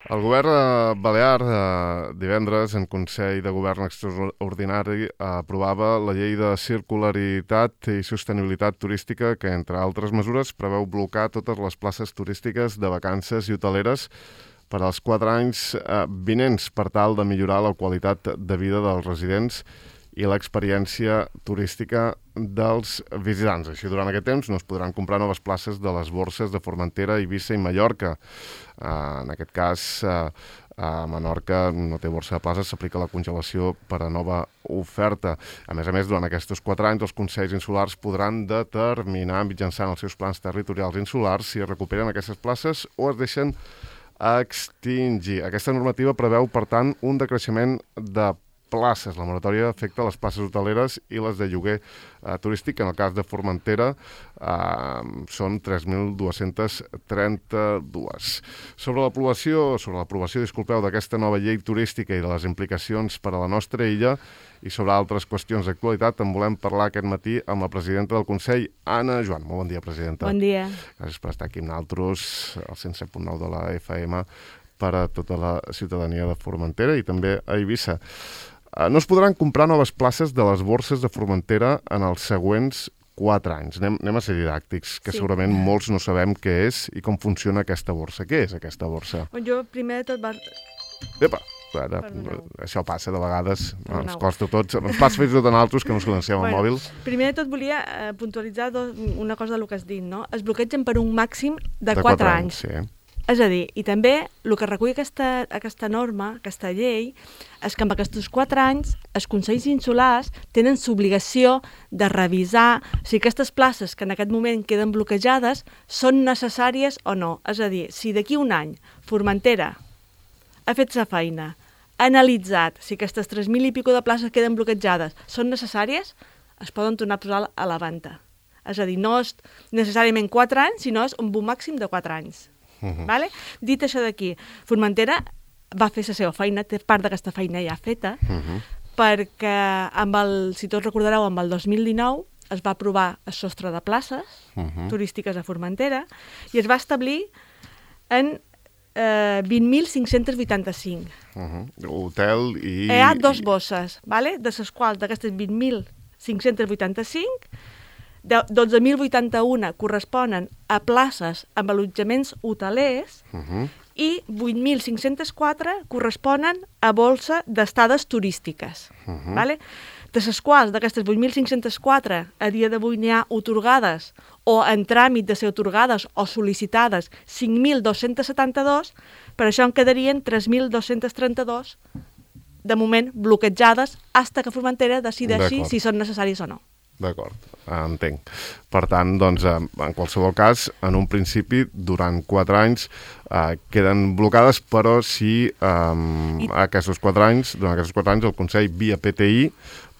El govern balear divendres en Consell de Govern Extraordinari aprovava la llei de circularitat i sostenibilitat turística que, entre altres mesures, preveu blocar totes les places turístiques de vacances i hoteleres per als 4 anys vinents per tal de millorar la qualitat de vida dels residents i l'experiència turística dels visitants. Així, durant aquest temps no es podran comprar noves places de les borses de Formentera, Eivissa i Mallorca. En aquest cas, a Menorca no té borsa de places, s'aplica la congelació per a nova oferta. A més, durant aquests 4 anys, els consells insulars podran determinar mitjançant els seus plans territorials insulars si es recuperen aquestes places o es deixen extingir. Aquesta normativa preveu, per tant, un decreixement de places. La moratòria afecta les places hoteleres i les de lloguer turístic. En el cas de Formentera són 3.232. Sobre l'aprovació, d'aquesta nova llei turística i de les implicacions per a la nostra illa i sobre altres qüestions d'actualitat, en volem parlar aquest matí amb la presidenta del Consell, Anna Joan. Molt bon dia, presidenta. Bon dia. Gràcies per estar aquí amb nosaltres, al 107.9 de la FM, per a tota la ciutadania de Formentera i també a Eivissa. No es podran comprar noves places de les borses de Formentera en els següents 4 anys. Anem a ser didàctics, que segurament molts no sabem què és i com funciona aquesta borsa. Què és aquesta borsa? Jo, primer de tot... Epa! Això passa de vegades, ens costa a tots, ens passa fins i tot a nosaltres que no ens coneixem al mòbil. Primer de tot volia puntualitzar una cosa del que has dit, no? Es bloquegen per un màxim de 4 anys. Sí. És a dir, i també el que recull aquesta norma, aquesta llei, és que en aquests 4 anys els consells insulars tenen l'obligació de revisar si aquestes places que en aquest moment queden bloquejades són necessàries o no. És a dir, si d'aquí un any Formentera ha fet sa feina, ha analitzat si aquestes 3.000 i pico de places queden bloquejades són necessàries, es poden tornar a posar a la venda. És a dir, no és necessàriament 4 anys, sinó és un màxim de 4 anys. Vale? Dit això d'aquí, Formentera va fer la seva feina, té part d'aquesta feina ja feta, perquè, si tots recordareu, amb el 2019 es va aprovar el sostre de places turístiques a Formentera i es va establir en 20.585. Hotel i... Hi ha 2 bosses, vale? De les quals d'aquestes 20.585, 12.081 corresponen a places amb allotjaments hotelers i 8.504 corresponen a bolsa d'estades turístiques. Vale? De les quals, d'aquestes 8.504, a dia d'avui n'hi ha atorgades o en tràmit de ser atorgades o sol·licitades 5.272, per això en quedarien 3.232 de moment bloquejades fins que Formentera decideixi si són necessaris o no. D'acord, entenc. Per tant, doncs, en qualsevol cas, en un principi, durant 4 anys, queden blocades, però si durant aquests 4 anys, el Consell, via PTI,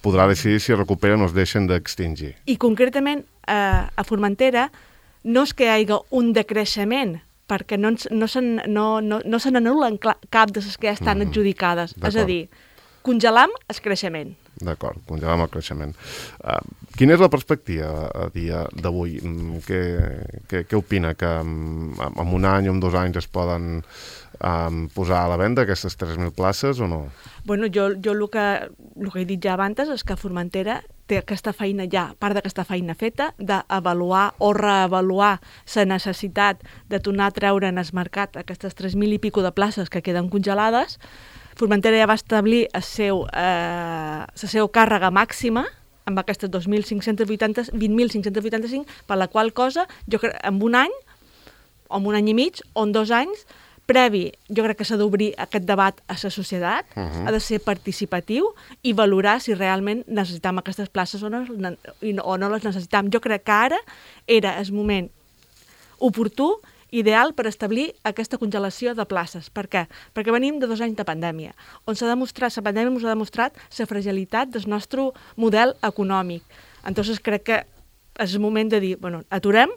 podrà decidir si es recuperen o es deixen d'extingir. I concretament, a Formentera, no és que hi hagi un decreixement, perquè no se n'anul·len cap de les que ja estan adjudicades. És a dir, congelam el creixement. D'acord, congelam el creixement. Quina és la perspectiva a dia d'avui? Què opina? Que en un any o en 2 anys es poden posar a la venda aquestes 3.000 places o no? Bueno, jo el que he dit ja abans és que Formentera té aquesta feina ja, part d'aquesta feina feta, d'avaluar o reavaluar la necessitat de tornar a treure en el mercat aquestes 3.000 i pico de places que queden congelades. Formentera ja va establir la seva càrrega màxima amb aquestes 20.585, per la qual cosa, jo crec, en un any, o en un any i mig, o en 2 anys, previ, jo crec que s'ha d'obrir aquest debat a la societat, ha de ser participatiu i valorar si realment necessitam aquestes places o no les necessitam. Jo crec que ara era el moment oportú, ideal per establir aquesta congelació de places. Per què? Perquè venim de 2 anys de pandèmia, on la pandèmia ens ha demostrat la fragilitat del nostre model econòmic. Entonces crec que és el moment de dir, bueno, aturem,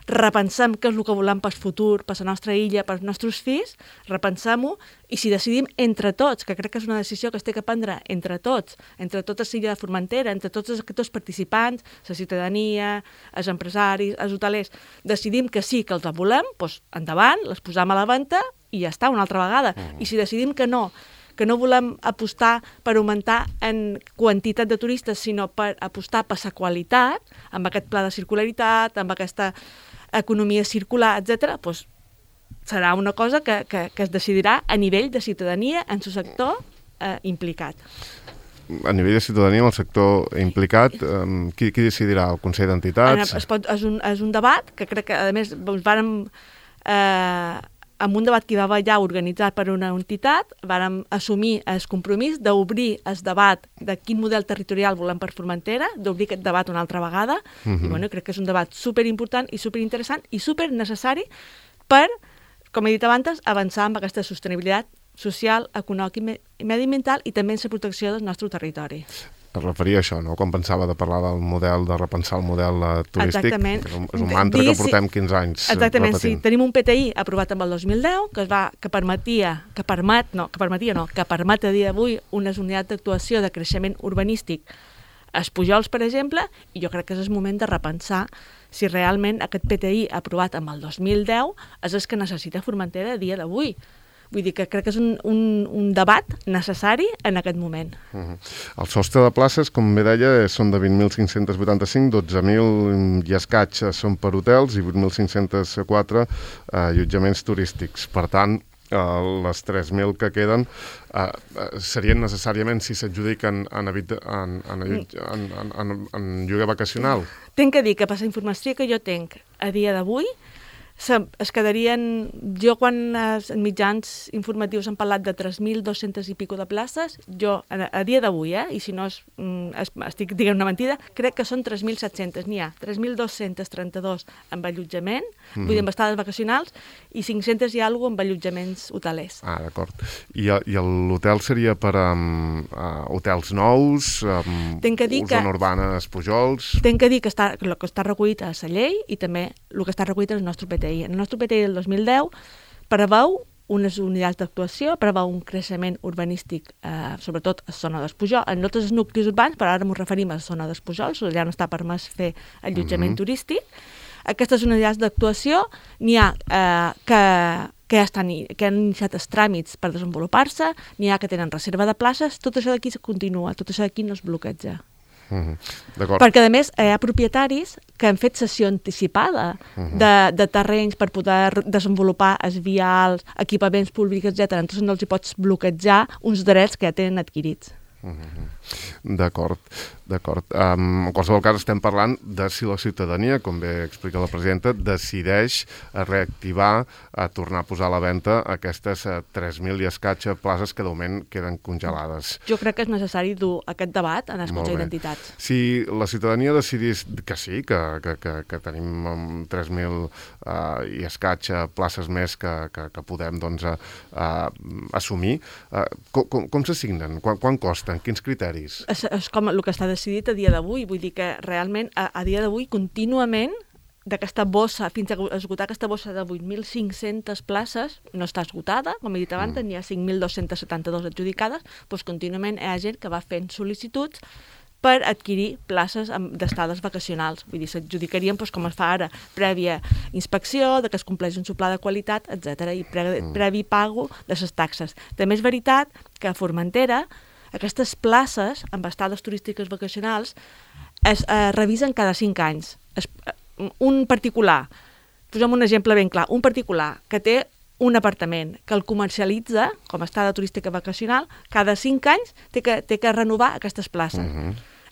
repensem què és el que volem pel futur, per la nostra illa, pels nostres fills, repensem-ho, i si decidim entre tots, que crec que és una decisió que es té que prendre entre tots l'illa de Formentera, entre tots els actors participants, la ciutadania, els empresaris, els hotelers, decidim que sí, que els volem, doncs endavant, les posam a la venda i ja està, una altra vegada. I si decidim que no volem apostar per augmentar en quantitat de turistes, sinó per apostar per la qualitat, amb aquest pla de circularitat, amb aquesta economia circular, etc., doncs serà una cosa que es decidirà a nivell de ciutadania en el sector implicat. A nivell de ciutadania, en el sector implicat, qui decidirà? El Consell d'Entitats? És un debat que crec que, a més, vàrem, amb un debat que hi va haver ja organitzat per una entitat, vàrem assumir el compromís d'obrir el debat de quin model territorial volem per Formentera, d'obrir aquest debat una altra vegada, i bueno, crec que és un debat superimportant i superinteressant i supernecessari per, com he dit abans, avançar amb aquesta sostenibilitat social, econòmica i mediambiental i també en la protecció del nostre territori. Es referia a això, no? Quan pensava de parlar del model, de repensar el model turístic. Exactament. És un mantra que portem 15 anys Exactament, repetint. sí. Tenim un PTI aprovat amb el 2010 que permet a dia d'avui unes unitats d'actuació de creixement urbanístic als Pujols, per exemple, i jo crec que és el moment de repensar si realment aquest PTI aprovat amb el 2010 és el que necessita Formentera a dia d'avui. Vull dir que crec que és un debat necessari en aquest moment. El sostre de places, com bé deia, són de 20.585, 12.000 i escaig són per hotels i 8.504 allotjaments turístics. Per tant, les 3.000 que queden serien necessàriament, si s'adjudiquen en lloguer vacacional? Tinc que dir que per la informació que jo tinc a dia d'avui, es quedarien, jo quan els mitjans informatius han parlat de 3.200 i pico de places, jo a dia d'avui, i si no estic dient una mentida, crec que són 3.700, n'hi ha 3.232 amb allotjament, vull dir amb estades vacacionals, i 500 i alguna amb allotjaments hotelers. Ah, d'acord. I l'hotel seria per hotels nous, zona urbana, Pujols? Tinc que dir que el que està recollit a la llei i també el que està recollit al nostre PTI. En el nostre PTI del 2010 preveu unes unitats d'actuació, preveu un creixement urbanístic, sobretot a la zona dels Pujols, en no tots els nuclis urbans, però ara m'ho referim a la zona dels Pujols, allà no està permès fer allotjament turístic. Aquestes unitats d'actuació n'hi ha que han iniciat els tràmits per desenvolupar-se, n'hi ha que tenen reserva de places, tot això d'aquí continua, tot això d'aquí no es bloqueja. Perquè a més hi ha propietaris que han fet cessió anticipada de terrenys per poder desenvolupar els vials, equipaments públics, etc. Entonces no els hi pots bloquejar uns drets que ja tenen adquirits. D'acord. En qualsevol cas estem parlant de si la ciutadania, com bé explica la presidenta, decideix reactivar, a tornar a posar a la venda aquestes 3.000 i escaig places que de moment queden congelades. Jo crec que és necessari dur aquest debat en el Consell d'Entitats. Si la ciutadania decidís que sí, que tenim 3.000 i escaig places més que podem assumir, com s'assignen? Quan costen? Quins criteris? És com el que està decidit a dia d'avui. Vull dir que realment a dia d'avui contínuament d'aquesta bossa, fins a esgotar aquesta bossa de 8.500 places, no està esgotada, com he dit abans, n'hi ha 5.272 adjudicades, doncs contínuament hi ha gent que va fent sol·licituds per adquirir places d'estades vacacionals. Vull dir, s'adjudicarien, com es fa ara, prèvia inspecció, que es compleix un pla de qualitat, etc. i previ pago de les taxes. També és veritat que a Formentera aquestes places amb estades turístiques vacacionals es revisen cada 5 anys. Un particular, posem un exemple ben clar, un particular que té un apartament que el comercialitza com a estada turística vacacional, cada 5 anys té que renovar aquestes places.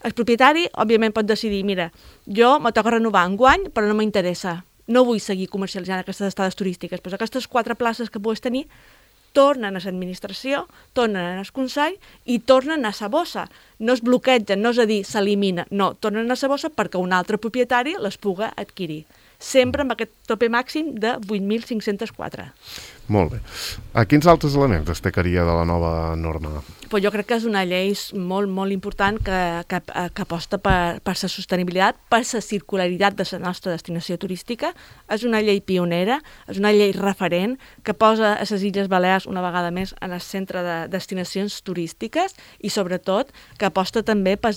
El propietari, òbviament, pot decidir, mira, jo me toca renovar enguany, però no m'interessa, no vull seguir comercialitzant aquestes estades turístiques. Doncs aquestes 4 places que puguis tenir tornen a l'administració, tornen al Consell i tornen a la bossa. No es bloquegen, no és a dir, s'elimina, no, tornen a la bossa perquè un altre propietari les puga adquirir. Sempre amb aquest tope màxim de 8.504. Molt bé. Quins altres elements destacaria de la nova norma? Pues jo crec que és una llei molt, molt important que aposta per la sostenibilitat, per la circularitat de la nostra destinació turística. És una llei pionera, és una llei referent que posa a les Illes Balears una vegada més en el centre de destinacions turístiques i sobretot que aposta també per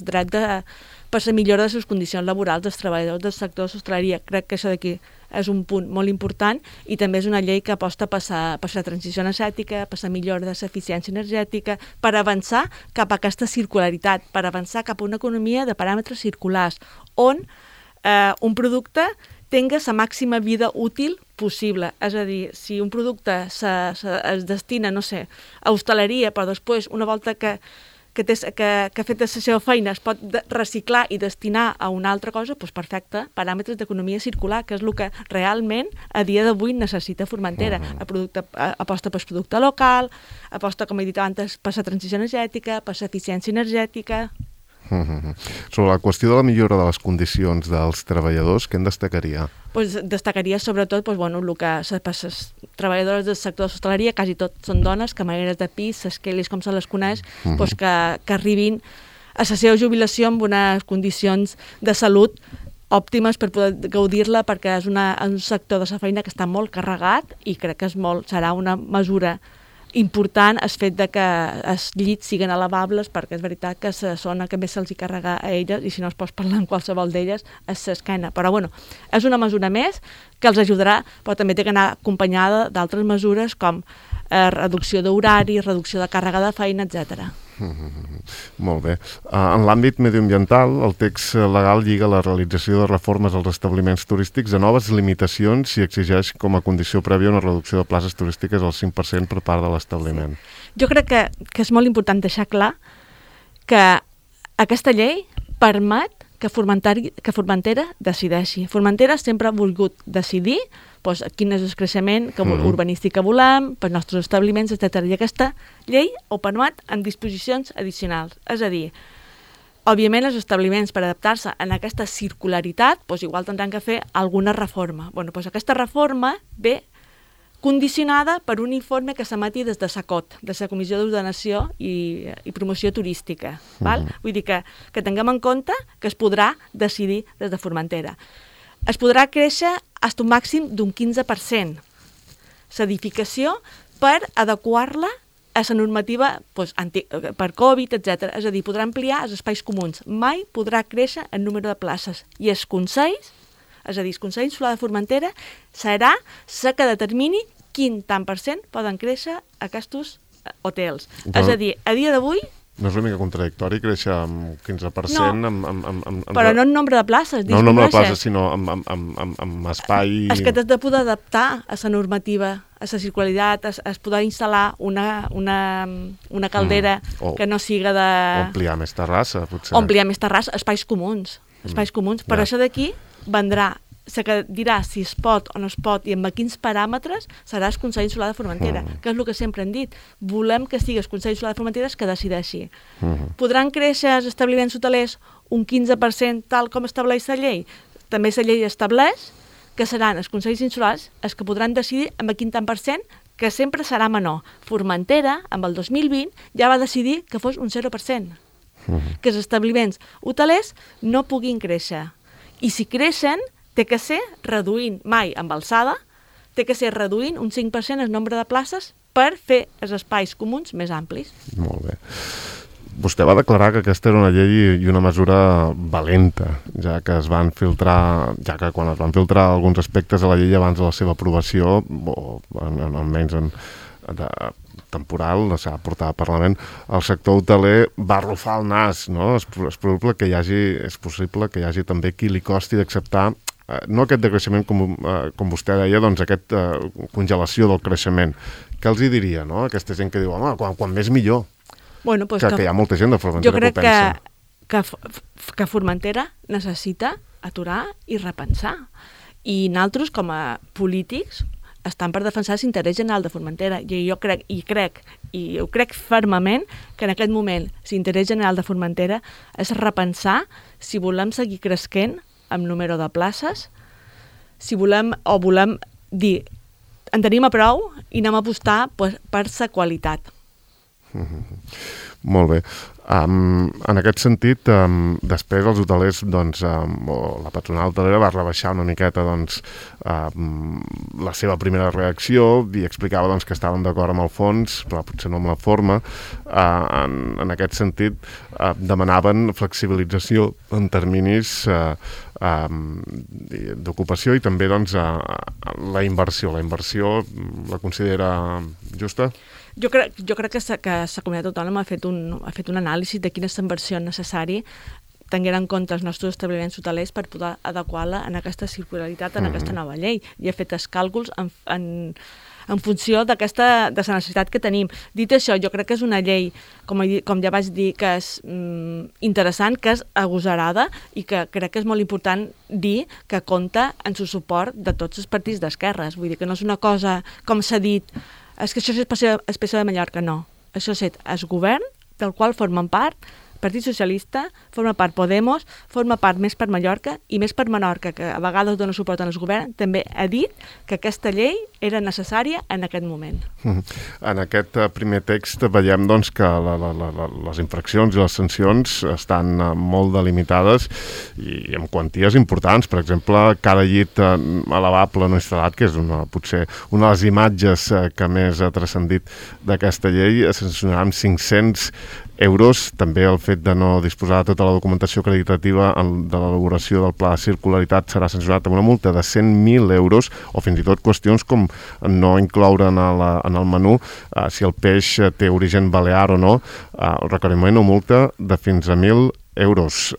la millora de les condicions laborals dels treballadors del sector de l'hostaleria. Crec que això d'aquí és un punt molt important, i també és una llei que aposta per la transició energètica, per la millora de l'eficiència energètica, per avançar cap a aquesta circularitat, per avançar cap a una economia de paràmetres circulars, on un producte tenga la màxima vida útil possible. És a dir, si un producte es destina, no sé, a hostaleria, però després, una volta que ha fet la seva feina, es pot reciclar i destinar a una altra cosa, doncs perfecte, paràmetres d'economia circular, que és el que realment a dia d'avui necessita Formentera. Aposta per producte local, aposta, com he dit abans, per la transició energètica, per l'eficiència energètica. Sobre la qüestió de la millora de les condicions dels treballadors, què en destacaria? Destacaria sobretot el que les treballadores del sector de l'hostaleria, quasi tot són dones, camareres de pis, les quelis com se les coneix, que arribin a la seva jubilació amb unes condicions de salut òptimes per poder gaudir-la, perquè és un sector de la feina que està molt carregat i crec que serà una mesura important el fet de que els llits siguin elevables, perquè és veritat que la zona que més se'ls hi carrega a elles, i si no es pots parlar amb qualsevol d'elles, és l'esquena. Però és una mesura més que els ajudarà, però també té que anar acompanyada d'altres mesures com reducció d'horari, reducció de càrrega de feina, etc. Molt bé. En l'àmbit mediambiental, el text legal lliga la realització de reformes als establiments turístics a noves limitacions i exigeix com a condició prèvia una reducció de places turístiques al 5% per part de l'establiment. Jo crec que és molt important deixar clar que aquesta llei permet que Formentera decideixi. Formentera sempre ha volgut decidir quin és el creixement urbanístic que volem, pels nostres establiments, etc. I aquesta llei ho permet en disposicions addicionals. És a dir, òbviament els establiments, per adaptar-se a aquesta circularitat, igual tindran que fer alguna reforma. Aquesta reforma ve condicionada per un informe que s'emeti des de SACOT, de la Comissió d'Ordenació i Promoció Turística. Vull dir que tinguem en compte que es podrà decidir des de Formentera. Es podrà créixer fins a un màxim d'un 15% l'edificació per adequar-la a la normativa per Covid, etc. És a dir, podrà ampliar els espais comuns. Mai podrà créixer el número de places. I els consells, és a dir, el Consell Insular de Formentera, serà la que determini quin tant per cent poden créixer aquests hotels. És a dir, a dia d'avui... No és una mica contradictori créixer amb 15%? No, però no en nombre de places. No en nombre de places, sinó amb espai... És que t'has de poder adaptar a la normativa, a la circularitat, es poder instal·lar una caldera que no siga de... O ampliar més terrassa, potser. O ampliar més terrassa, espais comuns. Per això d'aquí vendrà la que dirà si es pot o no es pot i amb quins paràmetres serà el Consell Insular de Formentera, que és el que sempre hem dit. Volem que sigui el Consell Insular de Formentera que decideixi. Podran créixer els establiments hotelers un 15% tal com estableix la llei? També la llei estableix que seran els Consells Insulars els que podran decidir amb quin tant per cent, que sempre serà menor. Formentera, amb el 2020, ja va decidir que fos un 0%, que els establiments hotelers no puguin créixer. I si creixen, té que ser reduint, mai amb alçada, té que ser reduint un 5% el nombre de places per fer els espais comuns més amplis. Molt bé. Vostè va declarar que aquesta era una llei i una mesura valenta, ja que quan es van filtrar alguns aspectes a la llei abans de la seva aprovació, o almenys temporal, s'ha portat al Parlament, el sector hoteler va arrufar el nas, no? És possible que hi hagi també qui li costi d'acceptar no aquest decreixement, com vostè deia, doncs aquesta congelació del creixement. Què els hi diria, no? Aquesta gent que diu, home, quan més millor. Que hi ha molta gent de Formentera que ho pensa. Jo crec que Formentera necessita aturar i repensar. I nosaltres, com a polítics, estan per defensar l'interès general de Formentera. I jo crec fermament que en aquest moment l'interès general de Formentera és repensar si volem seguir creixent amb número de places, si volem dir en tenim a prou i anem a apostar per la qualitat. Molt bé. En aquest sentit, després els hotelers, doncs, o la patronal hotelera va rebaixar una miqueta doncs, la seva primera reacció i explicava doncs, que estaven d'acord amb el fons, però potser no amb la forma. En aquest sentit, demanaven flexibilització en terminis d'ocupació i també doncs, la inversió. La inversió la considera justa? Jo crec que la comunitat autònoma ha fet un anàlisi de quina és la inversió necessària tenint en compte els nostres establiments hotelers per poder adequar-la en aquesta circularitat, en aquesta nova llei. I ha fet els càlculs en funció de la necessitat que tenim. Dit això, jo crec que és una llei, com ja vaig dir, que és interessant, que és agosarada i que crec que és molt important dir que compta en el suport de tots els partits d'esquerres. Vull dir que no és una cosa, com s'ha dit, és que això és especial de Mallorca, no. Això és el govern del qual formen part Partit Socialista, forma part Podemos, forma part Més per Mallorca i Més per Menorca, que a vegades dona suport al govern, també ha dit que aquesta llei era necessària en aquest moment. En aquest primer text veiem doncs, que les infraccions i les sancions estan molt delimitades i amb quanties importants. Per exemple, cada llit elevable no instal·lat, que és potser una de les imatges que més ha transcendit d'aquesta llei, sancionarà amb 500 euros. També el fet de no disposar de tota la documentació acreditativa de l'elaboració del pla de circularitat serà sancionat amb una multa de 100.000 euros o fins i tot qüestions com no incloure en el menú si el peix té origen balear o no, el requeriment o multa de fins a 1.000 euros.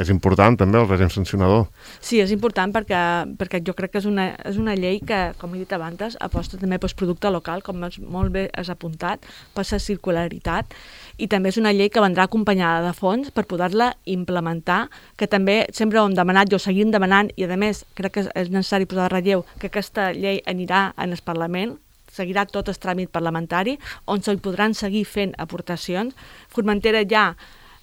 És important també el règim sancionador? Sí, és important perquè jo crec que és una llei que, com he dit abans, aposta també pel producte local, com molt bé has apuntat, per la circularitat, i també és una llei que vendrà acompanyada de fons per poder-la implementar, que també sempre ho hem demanat i ho seguim demanant, i a més crec que és necessari posar de relleu que aquesta llei anirà en el Parlament, seguirà tot el tràmit parlamentari, on se'l podran seguir fent aportacions. Formentera ja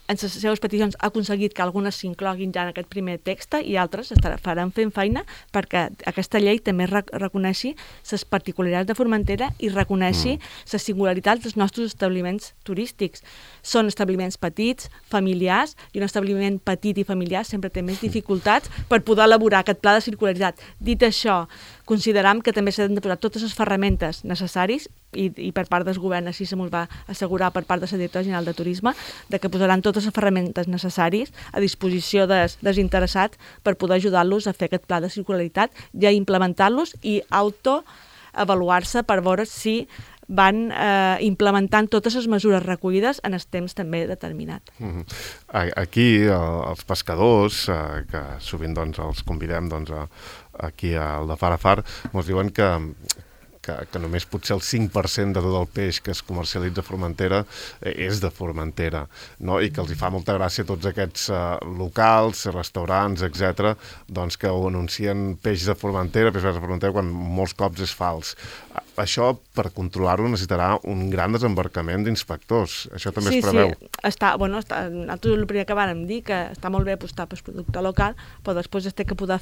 en les seves peticions ha aconseguit que algunes s'incloguin ja en aquest primer text i altres faran fent feina perquè aquesta llei també reconeixi les particularitats de Formentera i reconeixi les singularitats dels nostres establiments turístics. Són establiments petits, familiars, i un establiment petit i familiar sempre té més dificultats per poder elaborar aquest pla de circularitat. Dit això, consideram que també s'han de posar totes les ferramentes necessaris i per part del govern així se m'ho va assegurar per part de la Directora General de Turisme de que posaran totes les ferramentes necessaris a disposició dels interessats per poder ajudar-los a fer aquest pla de circularitat i a implementar-los i autoavaluar-se per veure si van implementant totes les mesures recollides en el temps també determinat. Aquí els pescadors, que sovint doncs, els convidem doncs, aquí al de Far a Far, ens diuen que només potser el 5% de tot el peix que es comercialitza a Formentera és de Formentera, no? I que els hi fa molta gràcia tots aquests locals, restaurants, etc., doncs que anuncien peix de Formentera, quan molts cops és fals. Això, per controlar-ho, necessitarà un gran desembarcament d'inspectors. Això també es preveu. Sí, nosaltres el primer que vàrem dir, que està molt bé apostar pel producte local, però després es té que poder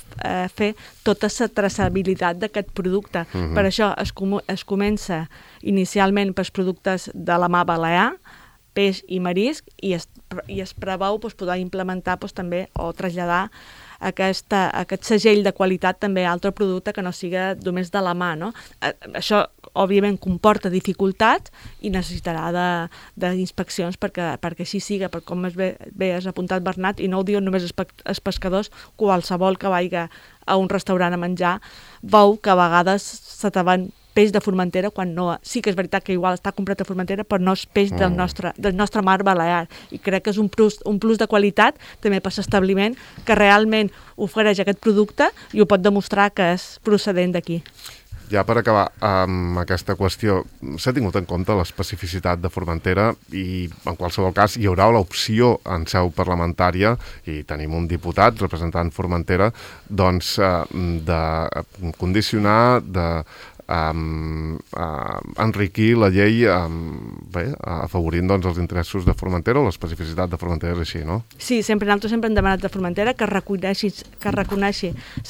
fer tota la traçabilitat d'aquest producte. Per això es comença inicialment pels productes de la mar balear, peix i marisc, i es preveu poder implementar també o traslladar aquest segell de qualitat també a altre producte que no siga només de la mà, no? Això, òbviament, comporta dificultats i necessitarà d'inspeccions perquè així siga, perquè com bé has apuntat, Bernat, i no ho diuen només els pescadors, qualsevol que vagi a un restaurant a menjar veu que a vegades se te van peix de Formentera, quan no... Sí que és veritat que igual està comprat a Formentera, però no és peix del nostre mar balear. I crec que és un plus de qualitat també per l'establiment que realment ofereix aquest producte i ho pot demostrar que és procedent d'aquí. Ja per acabar amb aquesta qüestió, s'ha tingut en compte l'especificitat de Formentera i en qualsevol cas hi haurà l'opció en seu parlamentària, i tenim un diputat representant Formentera, doncs de condicionar, enriquir la llei afavorint els interessos de Formentera o l'especificitat de Formentera és així, no? Sí, nosaltres sempre hem demanat de Formentera que reconeixi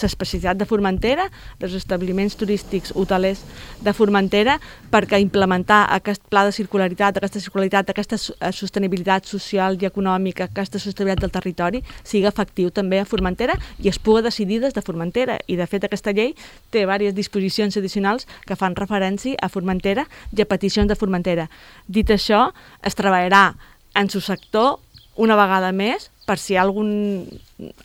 l'especificitat de Formentera, dels establiments turístics hotelers de Formentera, perquè implementar aquest pla de circularitat, aquesta sostenibilitat social i econòmica, aquesta sostenibilitat del territori, sigui efectiu també a Formentera i es pugui decidir des de Formentera. I, de fet, aquesta llei té diverses disposicions addicionals que fan referència a Formentera i a peticions de Formentera. Dit això, es treballarà en su sector una vegada més per si hi ha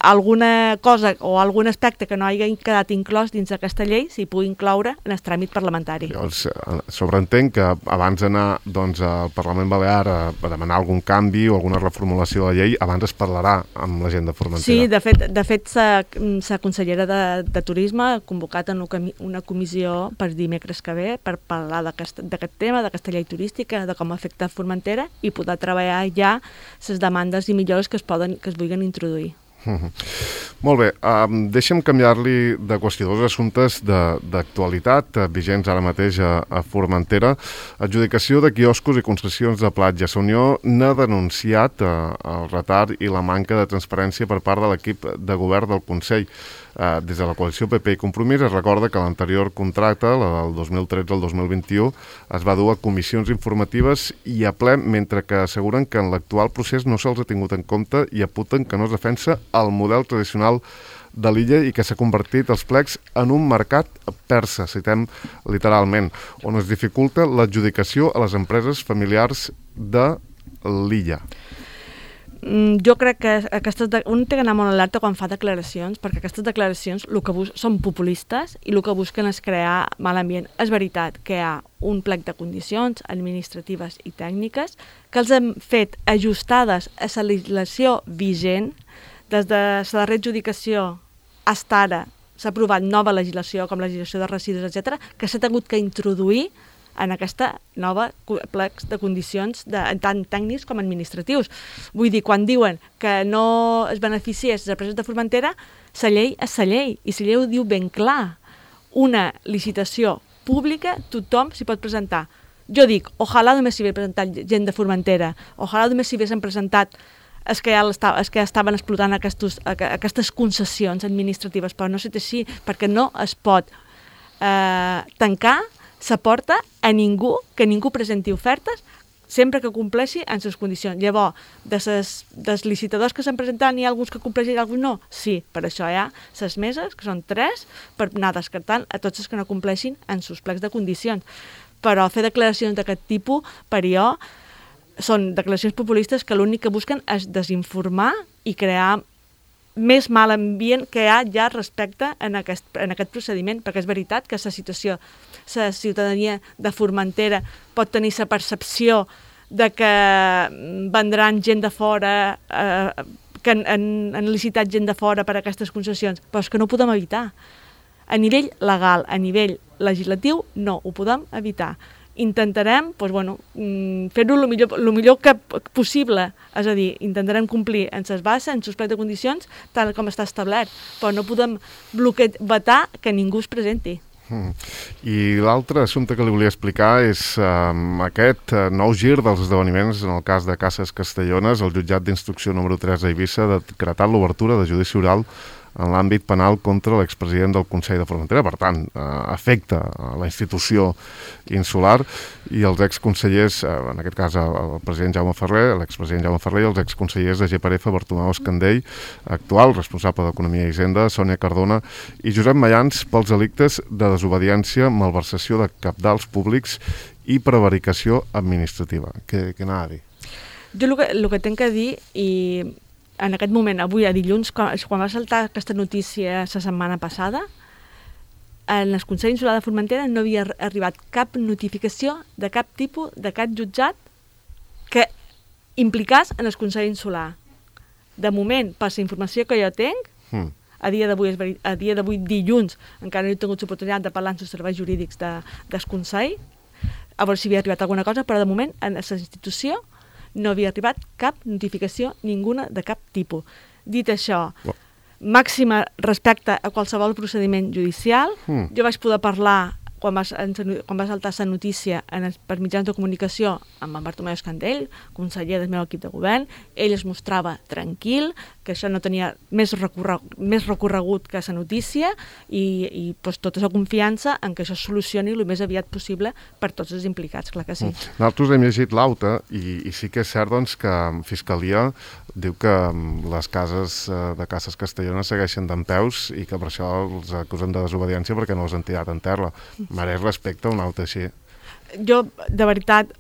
alguna cosa o algun aspecte que no hagi quedat inclòs dins d'aquesta llei s'hi pugui incloure en el tràmit parlamentari. Llavors, sobreentenc que abans d'anar al Parlament Balear a demanar algun canvi o alguna reformulació de la llei, abans es parlarà amb la gent de Formentera. Sí, de fet la consellera de Turisme ha convocat una comissió per dimecres que ve per parlar d'aquest tema, d'aquesta llei turística, de com afecta Formentera i poder treballar ja les demandes i millores que es vulguin introduir. Molt bé, deixa'm canviar-li de qüestió dos assumptes d'actualitat vigents ara mateix a Formentera. Adjudicació de quioscos i concessions de platges. La Unió n'ha denunciat el retard i la manca de transparència per part de l'equip de govern del Consell. Des de la coalició PP i Compromís es recorda que l'anterior contracte, la del 2013 al 2021, es va dur a comissions informatives i a ple, mentre que asseguren que en l'actual procés no se'ls ha tingut en compte i apunten que no es defensa el model tradicional de l'illa i que s'ha convertit els plecs en un mercat persa, citem literalment, on es dificulta l'adjudicació a les empreses familiars de l'illa. Jo crec que un té que anar molt alerta quan fa declaracions, perquè aquestes declaracions són populistes i el que busquen és crear mal ambient. És veritat que hi ha un plec de condicions administratives i tècniques que els hem fet ajustades a la legislació vigent. Des de la darrera adjudicació fins ara s'ha aprovat nova legislació, com la legislació de residus, etc., que s'ha hagut que introduir en aquesta nova plecs de condicions tant tècnics com administratius. Vull dir, quan diuen que no es beneficiés les empreses de Formentera, la llei és la llei, i la llei ho diu ben clar. Una licitació pública, tothom s'hi pot presentar. Jo dic, ojalà només s'hi hagués presentat gent de Formentera, ojalà només s'hi haguessin presentat els que ja estaven explotant aquestes concessions administratives, però no sé si, perquè no es pot tancar la porta a ningú, que ningú presenti ofertes sempre que compleixi en les condicions. Llavors, dels licitadors que s'han presentat, n'hi ha alguns que compleixen i alguns no? Sí, per això hi ha les meses, que són 3, per anar descartant a tots els que no compleixin en els plecs de condicions. Però fer declaracions d'aquest tipus, per jo, són declaracions populistes que l'únic que busquen és desinformar i crear més mal ambient que hi ha ja respecte en aquest procediment, perquè és veritat que la ciutadania de Formentera pot tenir la percepció de que vendran gent de fora, que han licitat gent de fora per a aquestes concessions, però és que no ho podem evitar. A nivell legal, a nivell legislatiu, no ho podem evitar. Intentarem fer-ho el millor que possible, és a dir, intentarem complir en les bases, en els plecs de condicions, tal com està establert, però no podem vetar que ningú es presenti. I l'altre assumpte que li volia explicar és aquest nou gir dels esdeveniments en el cas de Cases Castellones. El jutjat d'instrucció número 3 a Eivissa ha decretat l'obertura de judici oral en l'àmbit penal contra l'expresident del Consell de Formentera. Per tant, afecta la institució insular i els exconsellers, en aquest cas el president Jaume Ferrer, l'expresident Jaume Ferrer i els exconsellers de GPRF, Bartomeu Escandell, actual responsable d'Economia i Hisenda, Sònia Cardona, i Josep Mayans pels delictes de desobediència, malversació de cabdals públics i prevaricació administrativa. Què anava a dir? Jo el que tinc a dir, i en aquest moment, avui a dilluns, quan va saltar aquesta notícia la setmana passada, en el Consell Insular de Formentera no havia arribat cap notificació de cap tipus de cap jutjat que implicàs en el Consell Insular. De moment, per la informació que jo tinc, a dia d'avui dilluns, encara no he tingut l'oportunitat de parlar amb els serveis jurídics del Consell, a veure si havia arribat alguna cosa, però de moment en la institució no havia arribat cap notificació ninguna de cap tipus. Dit això, màxima respecte a qualsevol procediment judicial. Jo vaig poder parlar quan va saltar la notícia per mitjans de comunicació amb en Bartomeu Escandell, conseller del meu equip de govern, ell es mostrava tranquil, que això no tenia més recorregut que la notícia i tota la confiança en que això es solucioni el més aviat possible per tots els implicats, clar que sí. Nosaltres hem llegit l'auta i sí que és cert doncs, que Fiscalia diu que les cases de Cases Castellones segueixen dempeus i que per això els acusen de desobediència perquè no els han tirat en terra. Mereix respecte a un auto així. Jo, de veritat,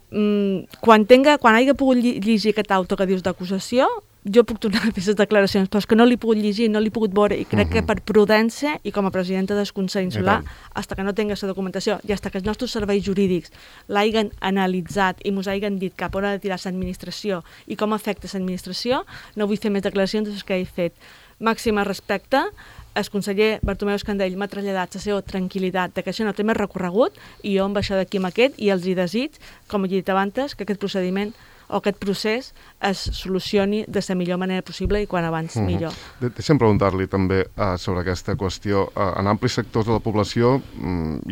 quan hagi pogut llegir aquest auto que dius d'acusació, jo puc tornar a fer les declaracions, però és que no l'he pogut llegir, no l'he pogut veure, i crec que per prudència i com a presidenta del Consell Insular, fins que no tingués la documentació i fins que els nostres serveis jurídics l'hagin analitzat i ens hagin dit cap on ha de tirar l'administració i com afecta l'administració, no vull fer més declaracions de les que he fet. Màxima respecte, el conseller Bartomeu Escandell m'ha traslladat la seva tranquil·litat de que això no té més recorregut i jo em baixo d'aquí amb aquest i els hi desig, com he dit abans, que aquest procediment o aquest procés es solucioni de la millor manera possible i quan abans millor. Deixa'm preguntar-li també sobre aquesta qüestió. En amplis sectors de la població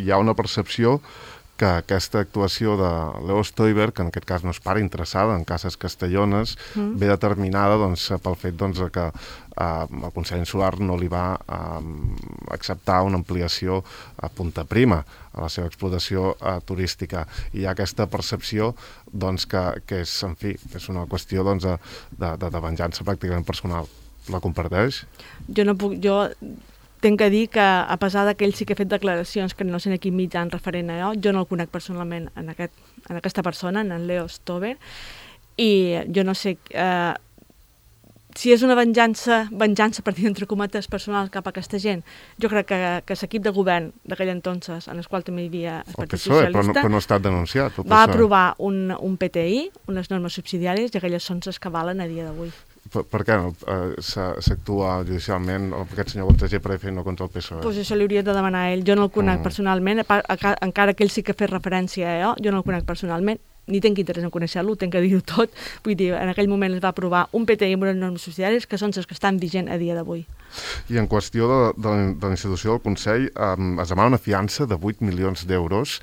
hi ha una percepció que aquesta actuació de Leo Stoiber, que en aquest cas no es para interessada en Cases Castellones, ve determinada pel fet que el Consell Insular no li va acceptar una ampliació a Punta Prima, a la seva explotació turística. I hi ha aquesta percepció que és, en fi, és una qüestió de venjança pràcticament personal. La comparteix? Jo tinc que dir que, a pesar que ell sí que ha fet declaracions que no sé en quin mitjà referent a jo no el conec personalment en aquesta persona, en Leo Stoiber, i jo no sé si és una venjança per dir entre cometes personal cap a aquesta gent. Jo crec que l'equip de govern d'aquell entonces, en el qual també hi havia el Partit Socialista, però no ha estat denunciat. Va aprovar un PTI, unes normes subsidiàries, i aquelles són les que valen a dia d'avui. Per què no s'actua judicialment aquest senyor contra GPF i no contra el PSOE? Doncs això li hauria de demanar a ell. Jo no el conec personalment, encara que ell sí que ha fet referència a jo no el conec personalment, ni tinc interès en conèixer-lo, tinc que dir-ho tot. Vull dir, en aquell moment es va aprovar un PTI amb unes normes subsidiàries que són les que estan vigents a dia d'avui. I en qüestió de la institució del Consell, es demana una fiança de 8 milions d'euros.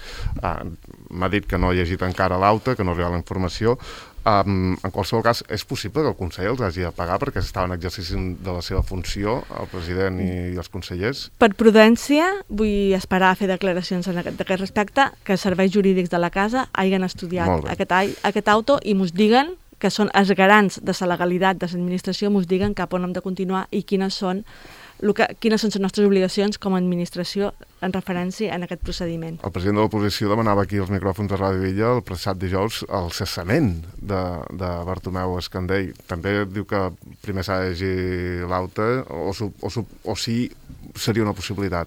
M'ha dit que no ha llegit encara l'auta, que no arriba la informació. En qualsevol cas, és possible que el Consell els hagi de pagar perquè estaven exercint de la seva funció, el president i els consellers? Per prudència, vull esperar a fer declaracions d'aquest respecte, que els serveis jurídics de la casa hagin estudiat aquest auto i ens diguen que són els garants de la legalitat de l'administració, ens diguen cap on hem de continuar i quines són les nostres obligacions com a administració en referència en aquest procediment. El president de l'oposició demanava aquí als micròfons de Ràdio Villa el passat dijous el cessament de Bartomeu Escandell. També diu que primer s'ha de llegir l'auta o sí seria una possibilitat.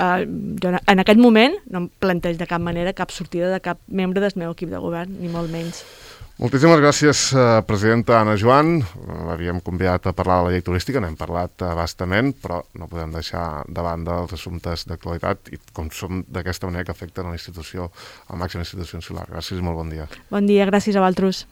Jo en aquest moment no em plantejo de cap manera cap sortida de cap membre del meu equip de govern, ni molt menys. Moltíssimes gràcies, presidenta Anna Joan. L'havíem convidat a parlar de la llei turística, n'hem parlat bastament, però no podem deixar de banda els assumptes d'actualitat i com som d'aquesta manera que afecten a la institució, a la màxima institució insular. Gràcies i molt bon dia. Bon dia, gràcies a vosaltres.